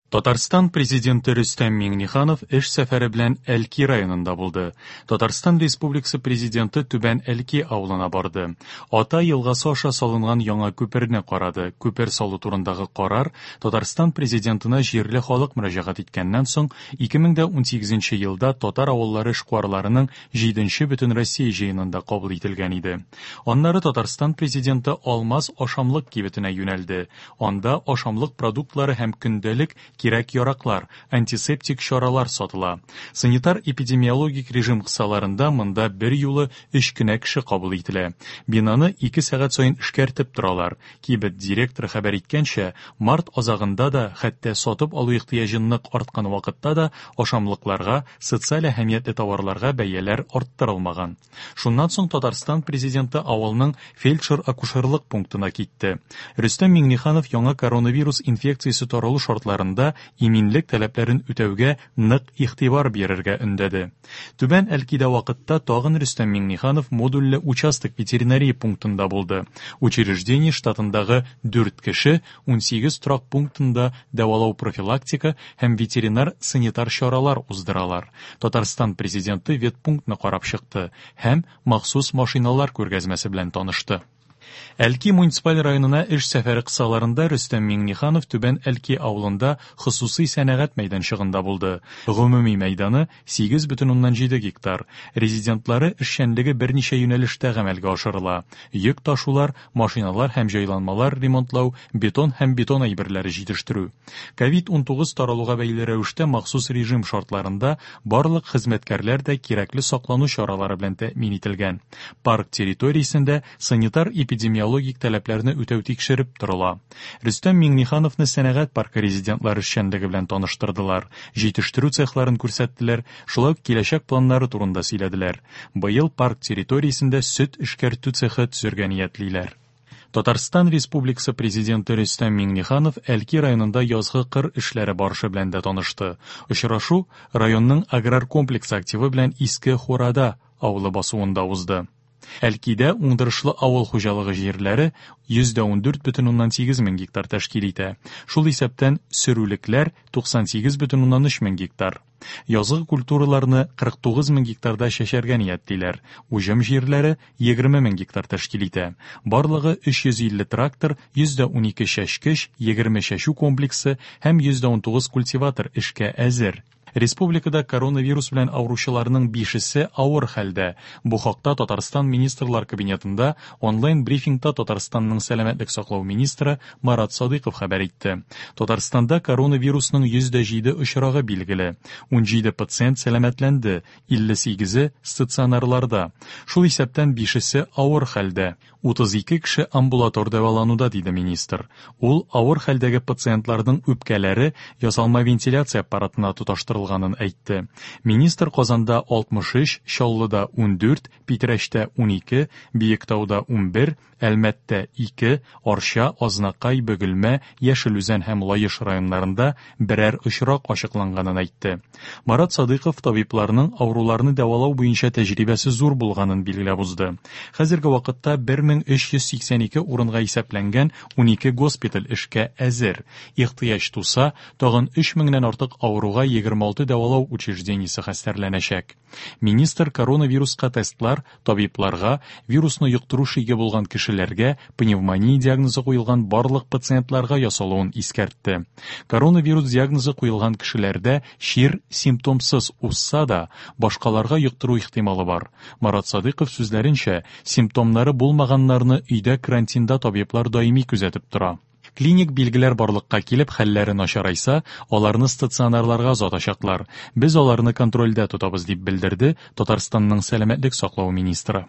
Татарстан Президенты Рөстәм Миңнеханов эш сәфәре белән Әлки районында булды. Татарстан Республикасы Президенты Түбән Әлки авылына барды. Ата елгасы аша салынган яңа күперне карады. Күпер салу турындагы карар Татарстан Президентына җирле халык мөрәҗәгать иткәннән соң 2018 елда татар авыллары эшкуарларының җиденче Бөтенроссия җыенында кабул ителгән иде. Аннары Татарстан Президенты Алмаз ашамлык кибетенә юнәлде. Анда ашамлык продуктлары һәм көндәлек кирәк-яраклар, антисептик чаралар сатыла. Санитар-эпидемиологик режим кысаларында монда берьюлы өч кенә кеше кабул ителә. Бинаны ике сәгать саен эшкәртеп торалар. Кибет директоры хәбәр иткәнчә, март азагында да, хәтта сатып алу ихтыяҗы нык арткан вакытта да ашамлыкларга, социаль әһәмиятле товарларга бәяләр арттырылмаган. Шуннан соң Татарстан Президенты авылның фельдшер-акушерлык пунктына китте. Рөстәм Миңнеханов яңа коронавирус инфекциясе таралу шартларында иминлек таләпләрен үтәүгә нык игътибар бирергә өндәде. Түбән Әлкидә вакытта тагын Рөстәм Миңнеханов модульле участок ветеринария пунктында булды. Учреждение штатындагы дүрт кеше 18 торак пунктында дәвалау-профилактика һәм ветеринар-санитар чаралар уздыралар. Татарстан Президенты ветпунктны карап чыкты һәм махсус машиналар күргәзмәсе белән танышты. Әлки муниципаль районына эш сәфәре кысаларында Рөстәм Миңнеханов Түбән Әлки авылында хосусый сәнәгать мәйданчыгында булды. Гомуми мәйданы 8,7 гектар. Резидентлары эшчәнлеге берничә юнәлештә гамәлгә ашырыла. Йөк ташулар, машиналар һәм җайланмалар ремонтлау, бетон һәм бетон әйберләре җитештерү. Ковид-19 таралуга бәйле рәвештә махсус режим шартларында барлык хезмәткәрләр дә кирәкле саклану чаралары белән тәэмин ителгән. Парк территориясендә санитар-эпидемиологик таләпләрне үтәү тикшереп торыла. Рөстәм Миңнехановны сәнәгать паркы резидентлары эшчәнлеге белән таныштырдылар, җитештерү цехларын күрсәттеләр, шулай ук киләчәк планнары турында сөйләделәр. Быел парк территориясендә сөт эшкәртү цехы төзергә ниятлиләр. Татарстан Республикасы Президенты Рөстәм Миңнеханов Әлки районында язгы кыр эшләре барышы белән дә танышты. Очрашу районның аграр комплексы активы белән Иске Хурада авылы басуында узды. Әлкидә уңдырышлы авыл хуҗалыгы җирләре 114,8 мең гектар тәшкил итә. Шул исәптән сөрүлекләр 98,3 мең гектар. Язгы культураларны 49 мең гектарда чәчәргә ниятлиләр. Уҗым җирләре 20 мең гектар тәшкил итә. Барлыгы 350 трактор, 112 чәчкеч, 20 чәчү комплексы һәм 119 культиватор эшкә әзер. Республикада коронавирус белән авыручыларның бишесе авыр хәлдә. Бу хакта Татарстан Министрлар Кабинетында онлайн-брифингта Татарстанның сәламәтлек саклау министры Марат Садыйков хәбәр итте. Татарстанда коронавирусның 107 очрагы билгеле. 17 пациент сәламәтләнде, 58-е стационарларда. Шул исәптән бишесе авыр хәлдә. 32 кеше амбулатор дәвалануда, диде министр. Ул авыр хәлдәге пациентларның үпкәләре ясалма вентиляция аппаратына тоташтырылганын әйтте. Министр Казанда 63, Чаллыда 14, Питрәчтә 12, Биектауда 11, Әлмәттә ике, Арча, Азнакай, Бөгелмә, Яшел Үзән һәм Лаеш районнарында берәр очрак ачыкланганын әйтте. Марат Садыйков табибларның авыруларны дәвалау буенча тәҗрибәсе зур булганын билгеләп узды. Хәзерге вакытта 1382 урынга исәпләнгән 12 госпиталь эшкә әзер. Ихтыяҗ туса, тагын 3 меңнән артык авыруга 26 дәвалау учреждениесе хәстәрләнәчәк. Министр коронавируска тестлар табибларга, вирусны йоктыру шиге булган кешеләргә, пневмония диагнозы куелган барлык пациентларга ясалуын искәртте. Коронавирус диагнозы куелган кешеләрдә чир симптомсыз узса да, башкаларга йоктыру ихтималы бар. Марат Садыйков сүзләренчә, симптомнары булмаганнарны өйдә карантинда табиблар даими күзәтеп тора. Клиник билгеләр барлыкка килеп, хәлләре начарайса, аларны стационарларга озатачаклар. Без аларны контрольдә тотабыз, дип белдерде Татарстанның сәламәтлек саклау министры.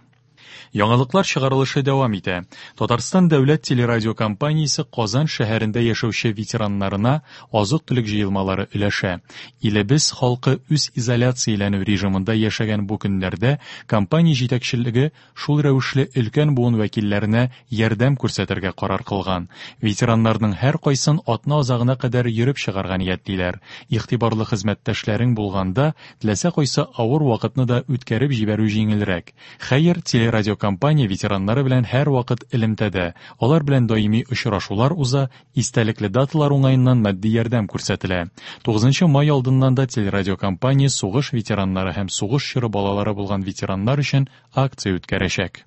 Яңалыклар чыгарылышы дәвам итә. Татарстан дәүләт телерадиокомпаниясе Казан шәһәрендә яшәүче ветераннарына азык-төлек җыелмалары өләшә. Илебез халкы үз изоляцияләнү режимында яшәгән бу көннәрдә компания җитәкчелеге шул рәвешле өлкән буын вәкилләренә ярдәм күрсәтергә карар кылган. Ветераннарның һәркайсын атна азагына кадәр йөреп чыгарга ниятлиләр. Игътибарлы хезмәттәшләрең булганда, теләсә кайсы авыр вакытны да үткәреп җибәрү җиңелрәк. Хәер, телерадио Телерадиокомпания ветераннары белән һәрвакыт элемтәдә. Алар белән даими очрашулар уза, истәлекле даталар уңаеннан матди ярдәм күрсәтелә. 9 май алдыннан да телерадиокомпания сугыш ветераннары һәм сугыш чоры балалары булган ветераннар өчен акция үткәрәчәк.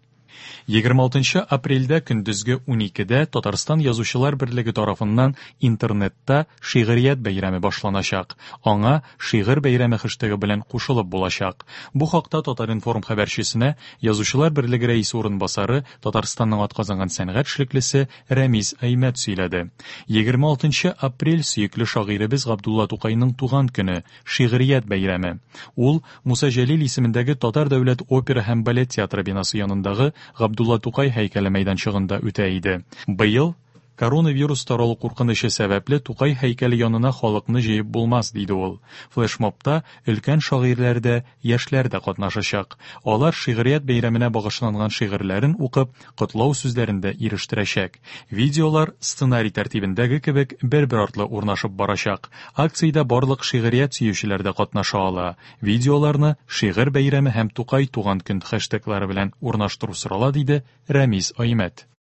26 апрельдә көндезге 12дә Татарстан Язучылар берлеге тарафыннан интернетта шигърият бәйрәме башланачак. Аңа шигырь бәйрәме хэштегы белән кушылып булачак. Бу хакта Татар-информ хәбәрчесенә Язучылар берлеге рәисе урынбасары, Татарстанның атказанган сәнгать эшлеклесе Рәмиз Аймәт сөйләде. 26 апрель сөекле шагыйребез Габдулла Тукайның туган көне, шигърият бәйрәме. Ул Муса Җәлил исемендәге Татар дәүләт опера һәм балет театры бинасы янындагы Габдулла Тукай һәйкәле мәйданчыгында үтә иде. Быел коронавирус таралу куркынычы сәбәпле Тукай һәйкәле янына халыкны җыеп булмас, диде ул. Флешмобта өлкән шагыйрьләр дә, яшьләр дә катнашачак. Алар шигърият бәйрәменә багышланган шигырьләрен укып, котлау сүзләрен дә ирештерәчәк. Видеолар сценарий тәртибендәге кебек бер-бер артлы урнашып барачак. Акциядә барлык шигърият сөючеләр дә катнаша ала. Видеоларны шигырь бәйрәме һәм Тукай туган көн хэштеглары белән урнаштыру сорала, диде Рәмиз Аймәт.